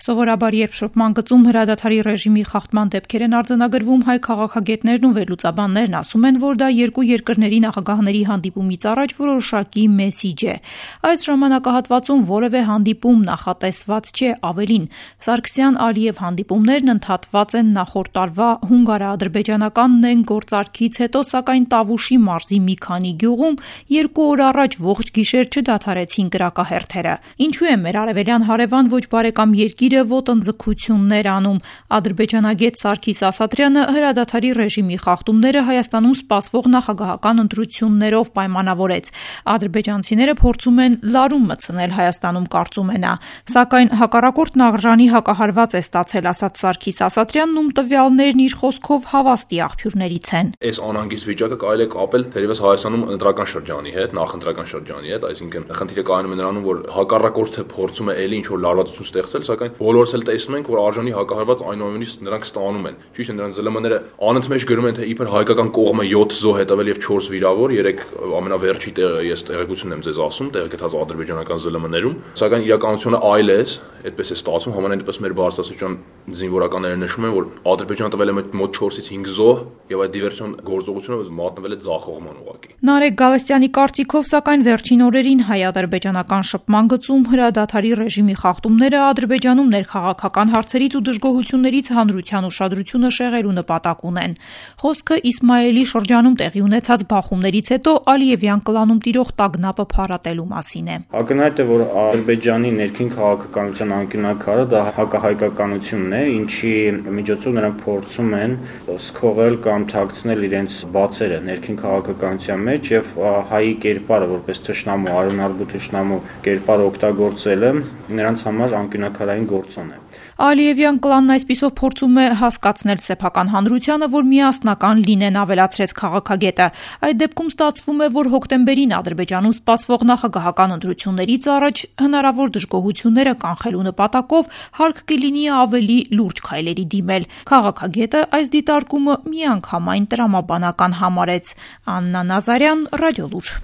Սովորաբար, երբ շփման գծում հրադադարի ռեժիմի խախտման դեպքեր են արձանագրվում, հայ քաղաքագետներն ու վերլուծաբաններն ասում են, որ դա երկու երկրների նախագահների հանդիպումից առաջ որոշակի մեսիջ է։ Այս ժամանակահատվածում որևէ հանդիպում նախատեսված չէ, ավելին, Սարգսյան-Ալիև հանդիպումներն ընդհատված են նախորդ տարվա հունգարա-ադրբեջանական նեն գործարքից հետո, սակայն Տավուշի մարզի մի քանի գյուղում 2 օր առաջ ողջ գիշեր չդադարեցին կրակահերթերը։ Ինչու է մեր արևելյան հարևան ոչ բարեկամ երկիրը ոտնձգություններ անում։ Ադրբեջանագետ Սարգիս Ասատրյանը հրադադարի ռեժիմի խախտումները Հայաստանում սպասվող նախագահական ընտրություններով պայմանավորեց։ Ադրբեջանցիները փորձում են լարում մտցնել Հայաստանում, կարծում է նա։ Սակայն հակառակորդն արժանի հակահարված է ստացել, ասաց Սարգիս Ասատրյանն, ում տվյալներն իր խոսքով հավաստի աղբյուրներից են։ Այս անհանգիստ վիճակը կարելի է կապել թերևս Հայաստանում ընտրական շրջանի հետ, նախընտրական շրջանի հետ, այսինքն խնդիրը կայանում է նրանում, որ հակառակորդը փորձում է ելի ինչ-որ լարվածություն ստեղծել, սակայն բոլորս էլ տեսնում ենք, որ արժանի հակահարված այնուամենայնիվ նրանք ստանում են։ Ճիշտ է, նրանց ԶԼՄ-ները անընդմեջ գրում են, թե իբր հայկական կողմը 7 զոհ հետևել եւ 4 վիրավոր, 3 ամենավերջի տեղը ես տեղեկությունն եմ ձեզ ասում, տեղեկացած ադրբեջանական ԶԼՄ-ներում, սակայն իրականությունը այլ է, այդպես է ստացվում, համենայնպես մեր բարձրաստիճան զինվորականները նշում են, որ Ադրբեջանը տվել է մոտ 4-ից 5 զոհ եւ այդ դիվերսիոն գործողությունը մատնվել է ձախողման ուղղակի։ Նարեկ Գալստյանի կարծիքով, սակայն վերջին օրերին հայ-ադրբեջանական շփման գծում հրադադարի ռեժիմի խախտումները Ադրբեջանում ներքաղաքական հարցերից ու դժգոհություններից հանրության ուշադրությունը շեղելու նպատակ ունեն։ Խոսքը Իսմայելի շրջանում տեղի ունեցած բախումներից հետո Ալիևյան կլանում տիրող տագնապը փարատելու մասին է։ Ակնհայտ է, որ Ադրբեջանի ներքին քաղաքականության անկյունաքարը դա հակահայկականությունն է, ինչի միջոցով նրանք փորձում են սքողել կամ թաքցնել իրենց բացերը ներքին քաղաքականության մեջ եւ հայի կերպարը որպես թշնամու, արյունարբու թշնամու կերպարը օգտագործելը նրանց համար անկյունաքարային գործոն է։ Ալիևյան կլանն այսպիսով փորձում է հասկացնել սեփական հանրությանը, որ միասնական լինեն, ավելացրեց քաղաքագետը։ Այդ դեպքում ստացվում է, որ հոկտեմբերին Ադրբեջանում սպասվող նախագահական ընտրություններից առաջ հնարավոր դժգոհությունները կանխելու նպատակով հարկ կլինի ավելի լուրջ քայլերի դիմել։ Քաղաքագետը այս դիտարկումը միանգամայն տրամաբանական համարեց։ Աննա Նազարյան, Ռադիոլուր։